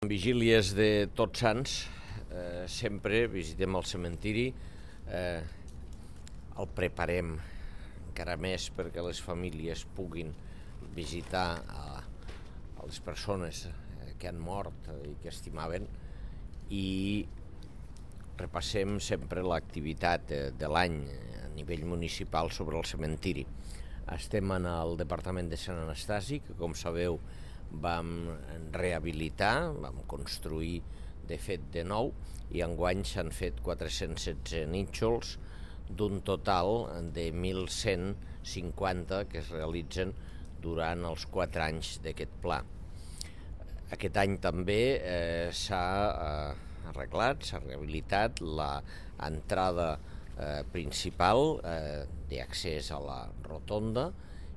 En vigílies de Tots Sants sempre visitem el cementiri, el preparem encara més perquè les famílies puguin visitar a les persones que han mort i que estimaven, i repassem sempre l'activitat de l'any a nivell municipal sobre el cementiri. Estem en el Departament de Sant Anastasi, que com sabeu vam rehabilitar, vam construir de fet de nou, i enguany s'han fet 416 nínxols d'un total de 1.150 que es realitzen durant els 4 anys d'aquest pla. Aquest any també s'ha arreglat, s'ha rehabilitat l'entrada principal d'accés a la rotonda,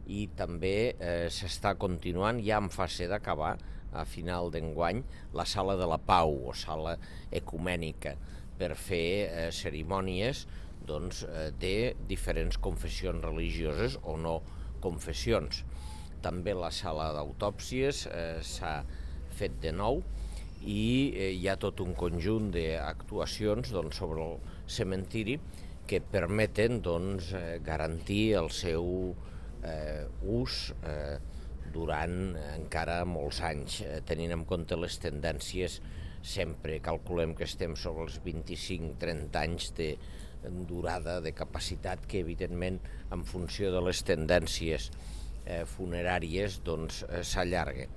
i també s'està continuant, ja en fase d'acabar, a final d'enguany, la sala de la Pau o sala ecumènica per fer cerimònies de diferents confessions religioses o no confessions. També la sala d'autòpsies s'ha fet de nou, i hi ha tot un conjunt d'actuacions sobre el cementiri que permeten garantir el seu ús durant encara molts anys, tenint en compte les tendències. Sempre calculem que estem sobre els 25-30 anys de durada, de capacitat, que evidentment en funció de les tendències funeràries s'allarga.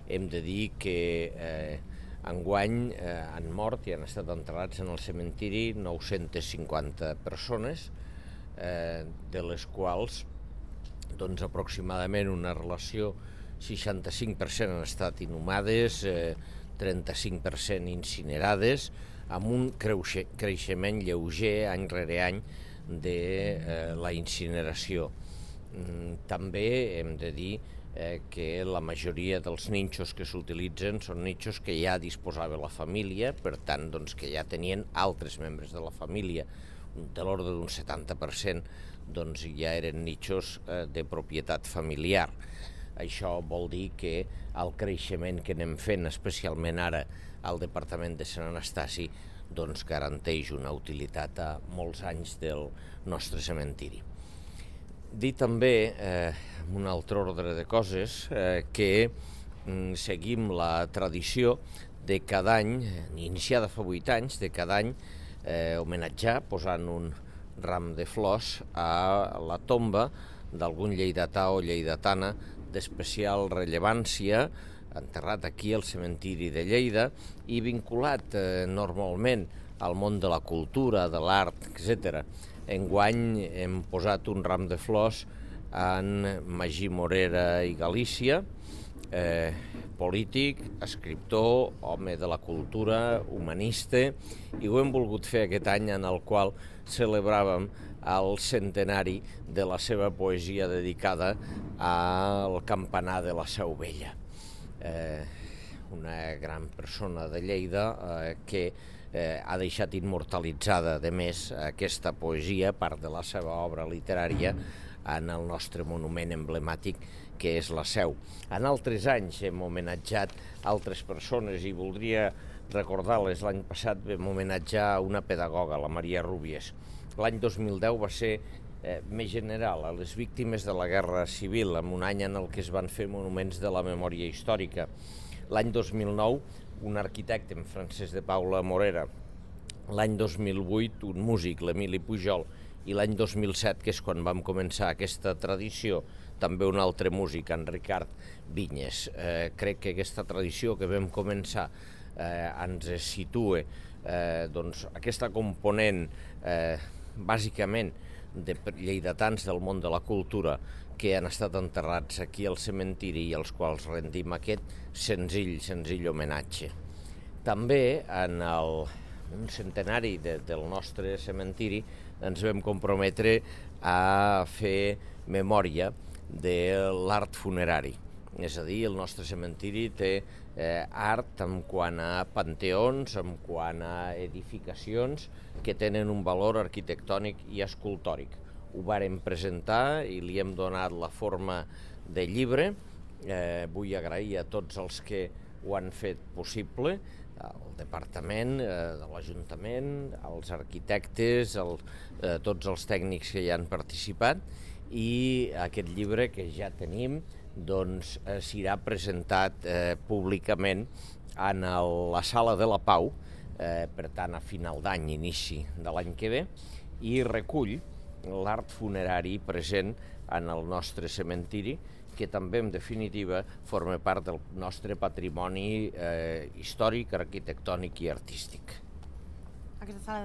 Hem de dir que enguany han mort i han estat enterrats en el cementiri 950 persones, de les quals aproximadament una relació 65% han estat inhumades, 35% incinerades, amb un creixement lleuger any rere any de la incineració. També hem de dir que la majoria dels nínxols que s'utilitzen són nínxols que ja disposava la família, per tant que ja tenien altres membres de la família, de l'ordre d'un 70% ja eren nínxols de propietat familiar. Això vol dir que el creixement que anem fent, especialment ara al Departament de Sant Anastasi, garanteix una utilitat a molts anys del nostre cementiri. Dir també, en un altre ordre de coses, que seguim la tradició de cada any, iniciada fa 8 anys, de cada any homenatjar posant un ram de flors a la tomba d'algun lleidatà o lleidatana d'especial rellevància, enterrat aquí al cementiri de Lleida i vinculat normalment al món de la cultura, de l'art, etc. Enguany hem posat un ram de flors en Magí Morera i Galícia, polític, escriptor, home de la cultura, humanista, i ho hem volgut fer aquest any en el qual celebràvem el centenari de la seva poesia dedicada al campanar de la Seu Vella. Una gran persona de Lleida que ha deixat immortalitzada, a més, aquesta poesia, part de la seva obra literària, en el nostre monument emblemàtic, que és la Seu. En altres anys hem homenatjat altres persones i voldria recordar-les. L'any passat vam homenatjar una pedagoga, la Maria Rúbies. L'any 2010 va ser més general, a les víctimes de la Guerra Civil, en un any en el que es van fer monuments de la memòria històrica. L'any 2009, un arquitecte, en Francesc de Paula Morera. L'any 2008, un músic, l'Emili Pujol. I l'any 2007, que és quan vam començar aquesta tradició, també un altre músic, en Ricard Vinyes. Crec que aquesta tradició que vam començar ens situa aquesta component bàsicament de lleidatans del món de la cultura que han estat enterrats aquí al cementiri i als quals rendim aquest senzill homenatge. També en un centenari del nostre cementiri ens vam comprometre a fer memòria de l'art funerari. És a dir, el nostre cementiri té art en quant a panteons, en quant a edificacions que tenen un valor arquitectònic i escultòric. Ho vàrem presentar i li hem donat la forma de llibre. Vull agrair a tots els que ho han fet possible, el departament de l'Ajuntament, els arquitectes, tots els tècnics que hi han participat, i aquest llibre que ja tenim doncs, serà presentat públicament en la Sala de la Pau, per tant a final d'any, inici de l'any que ve, i recull l'art funerari present en el nostre cementiri, que també, en definitiva, forma part del nostre patrimoni històric, arquitectònic i artístic. Aquesta sala